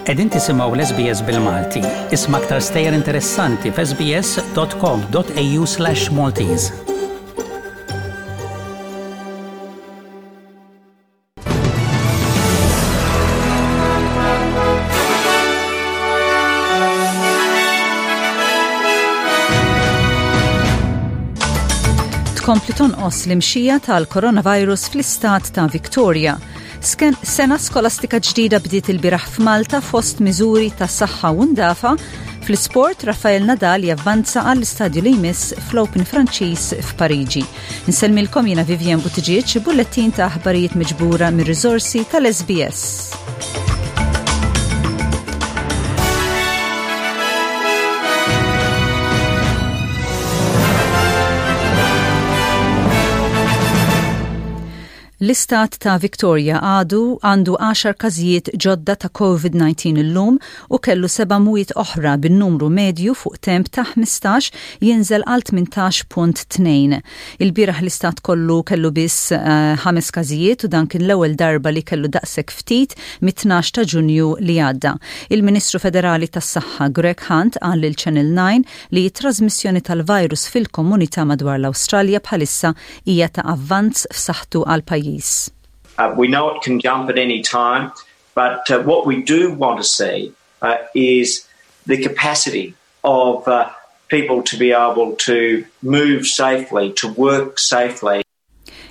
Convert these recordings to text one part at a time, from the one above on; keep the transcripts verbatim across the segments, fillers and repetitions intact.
Qegħdin tisimgħu l-S B S bil-Malti. Isma' aktar stejjer interessanti f'S B S dot com dot A U slash Maltese. Tkompli tonqos l-imxija tal-coronavirus fl-istat ta' Victoria. Sena skolastika ġdida bdiet ilbieraħ f'Malta fost miżuri ta' saħħa u ndafa. Fl-sport, Rafael Nadal javvanza għall-istadju li jmiss fl-Open Franċiż f'Pariġi. Insellmilkom jiena Vivian Buttigieg, bullettin ta' aħbarijiet miġbura mir-riżorsi tal-S B S. L-istat ta' Victoria għadu għandu għaxar każijiet ġodda ta' COVID nineteen illum u kellu seba' mwiet oħra, bin-numru medju fuq temp ta' ħmistax jinżel għal tmintax punt tnejn. Il-bieraħ l-istat kollu kellu biss uh, ħames każijiet u dan kien l-ewwel darba li kellu daqshekk ftit mit-tnax ta' Ġunju li għadda. Il-Ministru Federali tas-Saħħa Greg Hunt qal lil Channel nine li t-trasmissjoni tal-virus fil-komunità madwar l-Awstralja bħalissa hija ta' avvanz f'saħħtu għal pajjiż. Uh, we know it can jump at any time, but uh, what we do want to see uh, is the capacity of uh, people to be able to move safely, to work safely.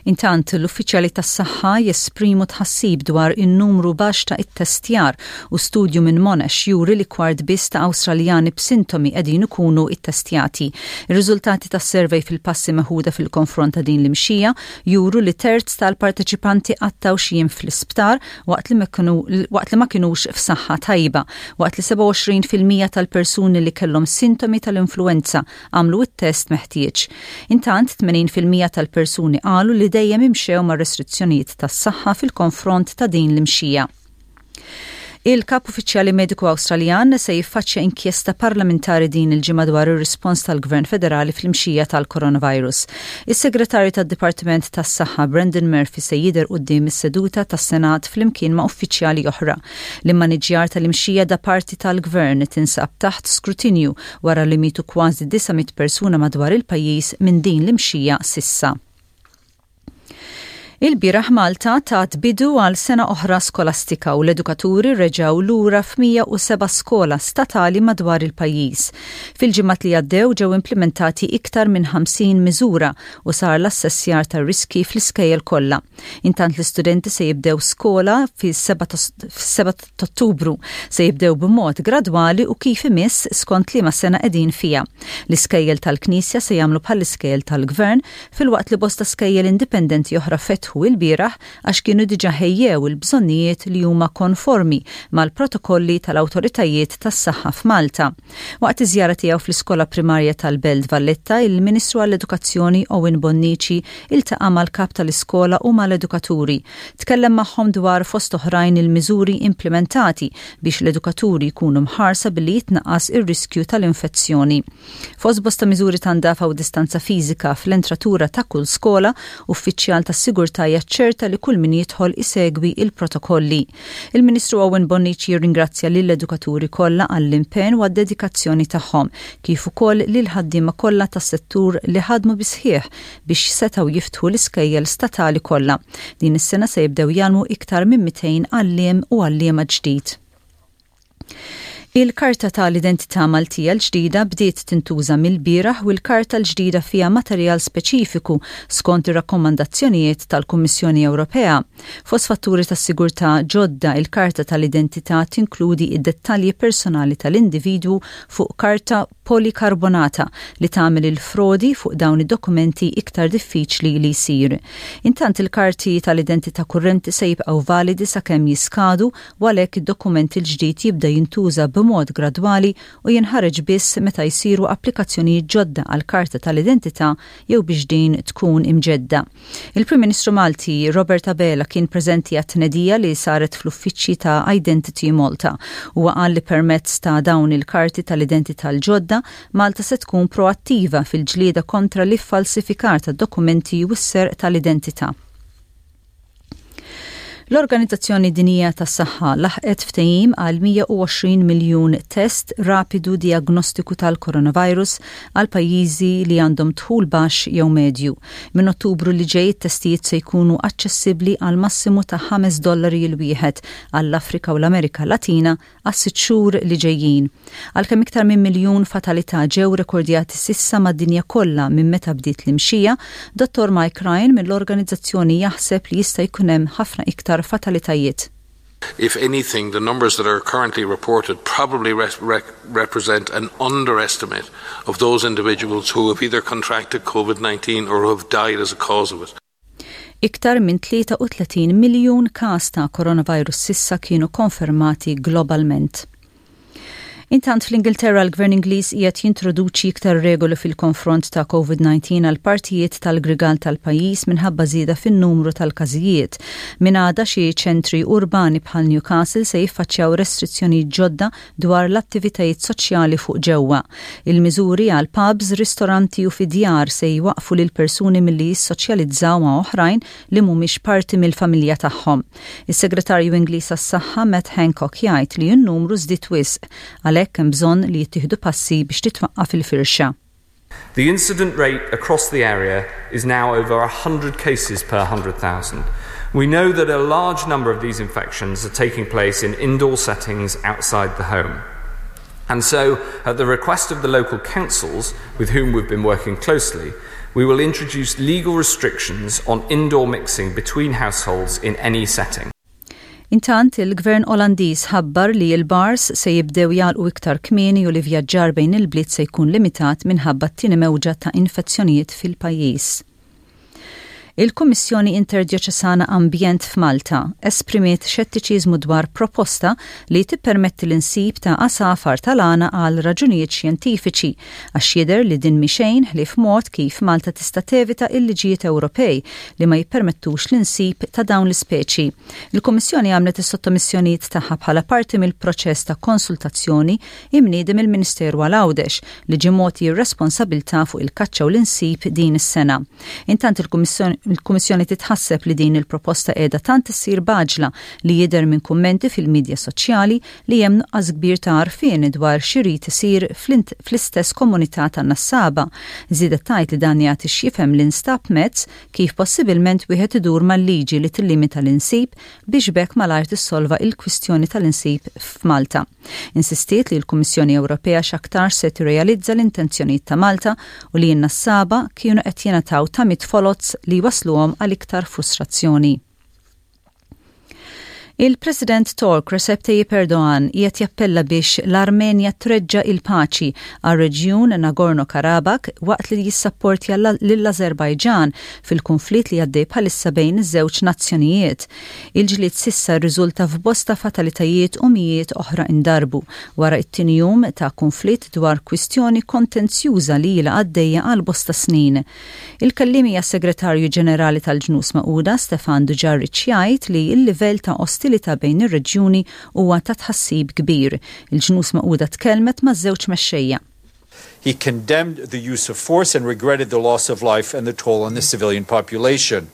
Intant, l-uffiċjali tas-saħħa jesprimu tħassib dwar in-numru baxx ta' ittestjar u studju minn Monash juri li kwart biss ta' Awstraljani b'sintomi qegħdin ikunu ittestjati. Ir-riżultati tas-survey fil-passi meħuda fil-konfront ta' din l-imxija juru li terz tal-parteċipanti qattgħu xi jiem fl-isptar waqt li waqt li ma kinux f'saħħa tajba, waqt li sebgħa u għoxrin fil-mija tal-persuni li kellhom sintomi tal-influenza għamlu it-test meħtieġ. Intant, tmenin fil-mija tal-persuni qalu li dejjem imxew ma' restrizzjonijiet tas-saħħa fil-konfront ta' din l-imxija. Il-kap uffiċjali mediku Awstraljan se jiffaċċja inkjesta parlamentari din il-ġimgħa dwar ir-rispons tal-Gvern Federali fl-imxija tal-coronavirus. Is-Segretarju tad-Dipartiment tas-Saħħa Brendan Murphy se jidher quddiem is-seduta tas-Senat flimkien ma' uffiċjali oħra. L-immaniġjar tal-imxija da parti tal-Gvern tinsab taħt skrutinju wara li mietu kważi disa' mitt persuna madwar il-pajjiż minn din l-imxija s'issa. Il-bieraħ Malta tat bidu għal sena oħra skolastika u l-edukaturi reġaw lura f'mija u seba' skola statali madwar il-pajjiż. Fil-ġimgħat li għaddew ġew implementati iktar minn ħamsin miżura u sar l-assessjar tar riski fl-iskejjel kollha. Intant, l-istudenti se jibdew skola fis-sebgħa ta' Ottubru, se jibdew b'mod gradwali u kif imiss skont liema sena qegħdin fiha. L-iskejjel tal-Knisja se jagħmlu bħall-iskejjel tal-Gvern, filwaqt li bosta skejjel indipendenti oħra fetħu ilbieraħ għax kienu diġa ħejjew il-bżonnijiet li huma konformi mal-protokolli tal-awtoritajiet tas-saħħa f'Malta. Waqt iż-żjara tiegħu fl-iskola primarja tal-Belt Valletta, il-Ministru għall-Edukazzjoni Owen Bonnici iltaqa' mal-kap tal-iskola u mal-edukaturi. Tkellem magħhom dwar, fost oħrajn, il-miżuri implementati biex l-edukaturi jkunu mħarsa billi jitnaqqas ir-riskju tal-infezzjoni. Fost bosta miżuri ta' ndafa u distanza fiżika fl-entratura ta' kull skola, uffiċjal tas-sigurtà jaċċerta li kull min jidħol isegwi il-protokolli. Il-Ministru Owen Bonnici jirringrazzja lill-edukaturi kollha għall-impenn u għad-dedikazzjoni tagħhom, kif ukoll lil ħaddiema kollha tas-settur li ħadmu bis-sħiħ biex setgħu jiftħu l-iskejjel statali kollha. Din is-sena se jibdew jgħallmu iktar minn mitejn għalliem u għalliema ġdid. Il-karta tal-identità Maltija l-ġdida bdiet tintuża mill-bieraħ u l-karta l-ġdida fija materjal speċifiku skont ir-rakkomandazzjonijiet tal-Kummissjoni Ewropea. Fost fatturi ta' sigurtà ġodda, il-karta tal-identità tinkludi id-dettalji personali tal-individwu fuq karta polikarbonata li tagħmel il-frodi fuq dawn id-dokumenti iktar diffiċli li jsir. Intant, il-karti tal-identità kurrenti se jibqgħu validi sakemm jiskadu u għalhekk id-dokument il-ġdid jibda jintuża b'mod gradwali u jinħareġ biss meta jsiru applikazzjonijiet ġodda għal karta tal-identità jew biex din tkun imġedda. Il-Prim Ministru Malti Robert Abela kien preżenti għat-tnedija li saret fl-uffiċċji ta' Identity Malta u qal li permezz ta' dawn il-karti tal-identità l-ġodda, Malta se tkun proattiva fil-ġlieda kontra l-iffalsifikar ta' dokumenti u s-serq tal-identità. L-Organizzazzjoni Dinjija tas-Saħħa laħqet ftehim għal mija u għoxrin miljun test rapidu diagnostiku tal-coronavirus għal pajjiżi li għandhom dħul baxx jew medju. Minn Ottubru li ġej, testijiet se jkunu aċċessibbli għal massimu ta' ħames dollari il-wieħed għall-Afrika u l-Amerika Latina għas sitt xhur li ġejjin. Għalkemm iktar minn miljun fatalità ġew rekordjati s'issa mad-dinja kollha minn meta bdiet l-imxija, Dottor Mike Ryan mill-organizzazzjoni jaħseb li jista' jkun hemm ħafna iktar fatalitajiet. If anything, the numbers that are currently reported probably re re represent an underestimate of those individuals who have either contracted COVID nineteen or who have died as a cause of it. Iktar minn tlieta u tletin miljun każ ta' coronavirus s'issa kienu konfermati globalment. Intant, fl-Ingilterra, l-Gvern Ingliż qiegħed jintroduċi iktar regoli fil-konfront ta' COVID nineteen għal partijiet tal-grigal tal-pajjiż minħabba żieda fin-numru tal-każijiet. Minn għada, xi ċentri urbani bħal Newcastle se jiffaċċjaw restrizzjoni ġodda dwar l-attivitajiet soċjali fuq ġewwa. Il-miżuri għal pubs, ristoranti u fid-djar se jwaqfu lil persuni milli jissoċjalizzaw ma' oħrajn li mhumiex parti mill-familja tagħhom. Is-Segretarju Ingliż għas-Saħħa Matt Hancock jgħid li n-numru żdied wisq, għalhekk hemm bżonn li jittieħdu passi biex titwaqqaf il-firxa. The incident rate across the area is now over one hundred cases per one hundred thousand. We know that a large number of these infections are taking place in indoor settings outside the home. And so, at the request of the local councils, with whom we've been working closely, we will introduce legal restrictions on indoor mixing between households in any setting. Intant, il-Gvern Olandiż ħabbar li l-bars se jibdew jagħlqu iktar kmieni u li vjaġġar bejn il-bliet se jkun limitat minħabba t-tieni mewġa ta' infezzjonijiet fil-pajjiż. Il-Kummissjoni Interdioċesana Ambjent f'Malta esprimiet xettiċiżmu dwar proposta li tippermetti l-insib ta' għasafar tal-għana għal raġunijiet xjentifiċi, għax jidher li din mhi xejn ħlief mod kif Malta tista' tevita il-liġijiet Ewropej li ma jippermettux l-insib ta' dawn l-ispeċi. Il-Kummissjoni għamlet is-sottomissjonijiet tagħha bħala parti mill-proċess ta' konsultazzjoni imniedi mill-Ministeru għal Għawdex, li ġie mogħti r-responsabbiltà fuq il-kaċċa u l-insib din is-sena. Intant, il-Kummissjoni il-Kummissjoni titħasseb li din il-proposta qiegħda tant issir b'għaġla li jidher minn kummenti fil-midja soċjali li hemm nuqqas kbir ta' għarfien dwar x'irid isir fl-istess komunità tan-nassaba. Żiedet tgħid li dan jagħti x'jifhem li nstab mezz kif possibilment wieħed idur mal-liġi li tillimita l-insib biex b'hekk malajr tissolva il-kwistjoni tal-insib f'Malta. Insistiet li l-Kummissjoni Ewropea x'aktar se tirrealizza l-intenzjonijiet ta' Malta u li n-nassaba kienu qed jingħataw tamiet foloz li wasluhom għal iktar frustrazzjoni. Il-President Tork Recep Tayyip Erdogan qiegħed jappella biex l-Armenja treġġa il-paċi għal reġjun Nagorno-Karabakh waqt li jissapportja lill-Azerbajġan fil-konflitt li għaddej bħalissa bejn iż-żewġ nazzjonijiet. Il-ġlied s'issa rriżulta f'bosta fatalitajiet u mijiet oħra indarbu wara it-tieni jum ta' konflitt dwar kwistjoni kontenzjuża li ilha għaddejja għal bosta snin. Il-kelliem għas-Segretarju Ġenerali tal-Ġnus Magħquda Stefan Dujarric jgħid li l-livell ta' ostilità bejn ir-reġjuni huwa ta' tħassib kbir. Il-Ġnus Magħquda tkellmet ma' żewġ mexxejja. He condemned the use of force and regretted the loss of life and the toll on the civilian population.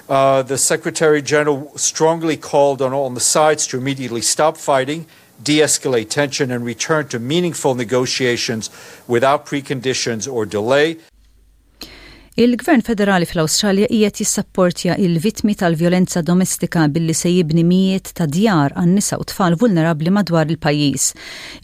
Uh, the Secretary General strongly called on all the sides to immediately stop fighting, de escalate tension, and return to meaningful negotiations without preconditions or delay. Il-Gvern Federali fl-Awstralja qiegħed jissapportja il-vittmi tal-vjolenza domestika billi se jibni mijiet ta' djar għan nisa u tfal vulnerabbli madwar il-pajjiż.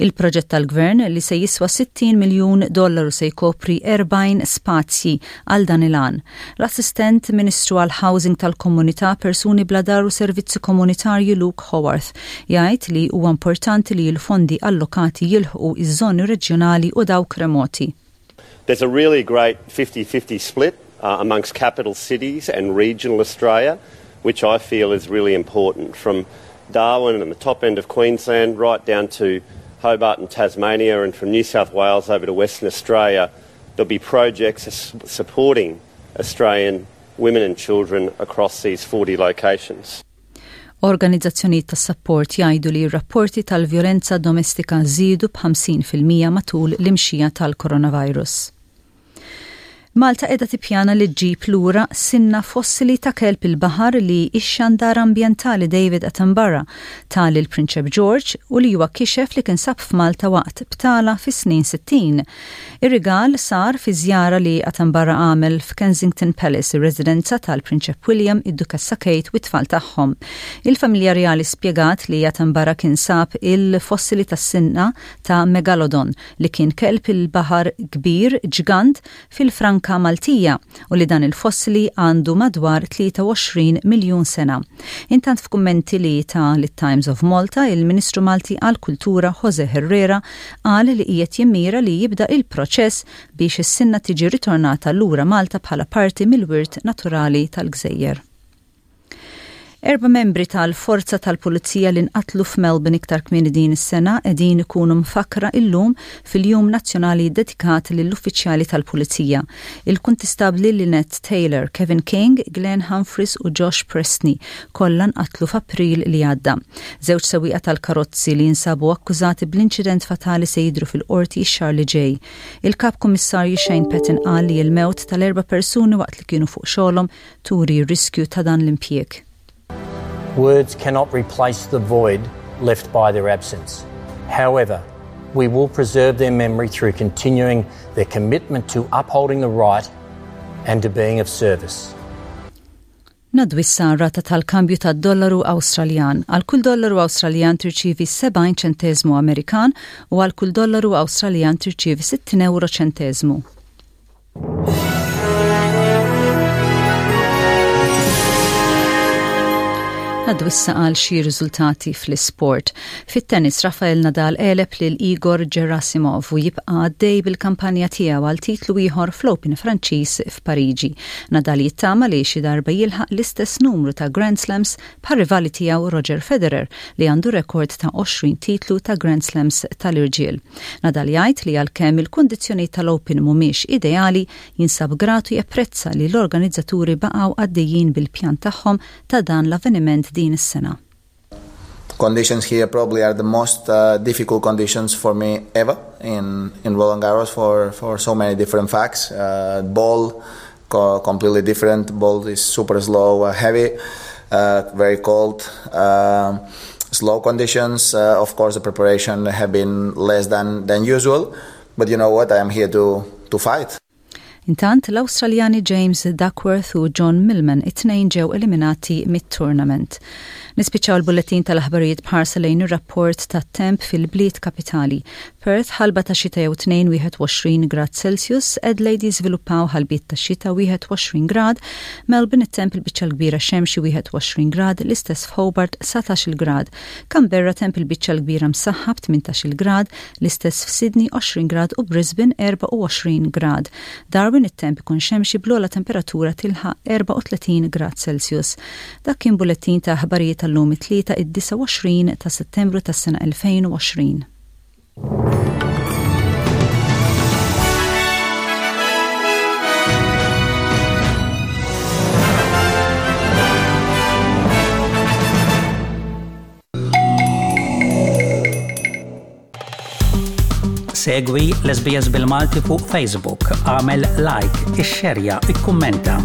Il-proġett tal-Gvern, li se jiswa sittin miljun dollaru, se jkopri erbgħin spazji għal dan il-għan. L-Assistent Ministru għal Housing tal-Komunità, Persuni Bla Dar u Servizzi Komunitarji Luke Howarth jgħid li huwa importanti li l-fondi allokati jilħqu iż-żoni reġjonali u dawk remoti. There's a really great fifty fifty split uh, amongst capital cities and regional Australia, which I feel is really important. From Darwin and the top end of Queensland right down to Hobart and Tasmania, and from New South Wales over to Western Australia, there'll be projects supporting Australian women and children across these forty locations. Organizzazzjonijiet ta' support jgħidu li r-rapporti tal-vjolenza domestika żiedu b'ħamsin fil-mija matul l-imxija tal-coronavirus. Malta qiegħda tippjana li ġġib lura sinna fossili ta' kelb il-baħar li ix-xandar ambjentali David Attenborough ta lill-Prinċep George u li huwa kixef li kien sab f'Malta waqt btala fis-snin sittin. Ir-rigal sar fi żjara li Attenborough għamel f'Kensington Palace, ir-residenza tal-Prinċep William, id-Dukessa Kate u t-tfal tagħhom. Il-familja reali spjegat li Attenborough kien sab il-fossili tas-sinna ta' Megalodon, li kien kelb il-baħar kbir ġgant, fil-Franka Maltija u li dan il-fossili għandu madwar tlieta u għoxrin miljun sena. Intant, f'kummenti li ta lit-Times of Malta, il-Ministru Malti għal-Kultura Jose Herrera qal li qiegħed jimmira li jibda il-proċess biex is-sinna tiġi ritornata lura Malta bħala parti mill-wirt naturali tal-Gżejjer. Erba' membri tal-Forza tal-Pulizija li nqatlu f'Melbourne iktar kmieni din is-sena qegħdin ikunu mfakra illum fil-Jum Nazzjonali dedikat lill-uffiċjali tal-Pulizija. Il-Kuntistabli Lynette Taylor, Kevin King, Glenn Humphries u Josh Prestney kollha nqatlu f'April li għadda. Żewġ sewwieqa tal-karozzi li jinsabu akkużati bl-inċident fatali se jidru fil-qorti x-xahar li ġej. Il-Kap Kummissarju Shane Patton qal li l-mewt tal-erba' persuni waqt li kienu fuq xogħolhom turi r-riskju ta' dan l-impjieg. Words cannot replace the void left by their absence. However, we will preserve their memory through continuing their commitment to upholding the right and to being of service. Ngħaddu issa rata tal-kambju tad-dollaru Awstraljan. Għal kull dollaru Awstraljan tirċivi sebgħin ċentesmu Amerikan u għal kull dollaru Awstraljan tirċivi sittin euro ċentesmu. Ngħaddu issa għal xi riżultati fl-isport. Fit-tennis, Rafael Nadal għeleb lil Igor Gerasimov u jibqa' għaddej bil-kampanja tiegħu għal titlu ieħor fl-Open Franċiż f'Pariġi. Nadal jittama li xi darba jilħaq l-istess numru ta' Grand Slams bħal rivali tiegħu Roger Federer, li għandu rekord ta' għoxrin titlu ta' Grand Slams tal-irġiel. Nadal jgħid li għalkemm il-kundizzjoni tal-Open mhumiex ideali, jinsab gratu japprezza li l-organizzaturi baqgħu għaddejjin bil-pjan tagħhom ta' dan l-avveniment din is-sena. Conditions here probably are the most uh, difficult conditions for me ever in, in Roland Garros for, for so many different facts. Uh, ball co completely different. Ball is super slow, uh, heavy, uh, very cold. Uh, slow conditions. Uh, of course, the preparation have been less than, than usual. But you know what? I am here to, to fight. Intant, l-Awstraljani James Duckworth u John Millman it-tnejn ġew eliminati mit-tournament. Nispiċċaw il-bulletin tal-aħbarijiet b'ħarsa lejn ir-rapport tat-temp fil-bliet kapitali. Perth, ħalba ta' xita jew tnejn, wieħed u għoxrin grad Celsius, Adelaide jiżviluppaw ħalbiet ta' xita, wieħed u għoxrin grad, Melbourne it-temp il-biċċa l-kbira xemxi, wieħed u għoxrin grad, l-istess f'Hobart, dsatax-il grad, Canberra temp il-biċċa l-kbira msaħħab, tmintax-il grad, l-istess f'Sydney, għoxrin grad u Brisbane erbgħa u għoxrin grad. Darwin it-temp ikun xemxi bl-ogħla temperatura tilħaq erbgħa u tletin grad Celsius. Dak kien bulletin ta' aħbarijiet tal-lum, it-Tlieta, id-disgħa u għoxrin ta' Settembru tas-sena elfejn u għoxrin. Segwi l-S B S bil-Malti fuq Facebook, agħmel like, ixxerja, ikkummenta.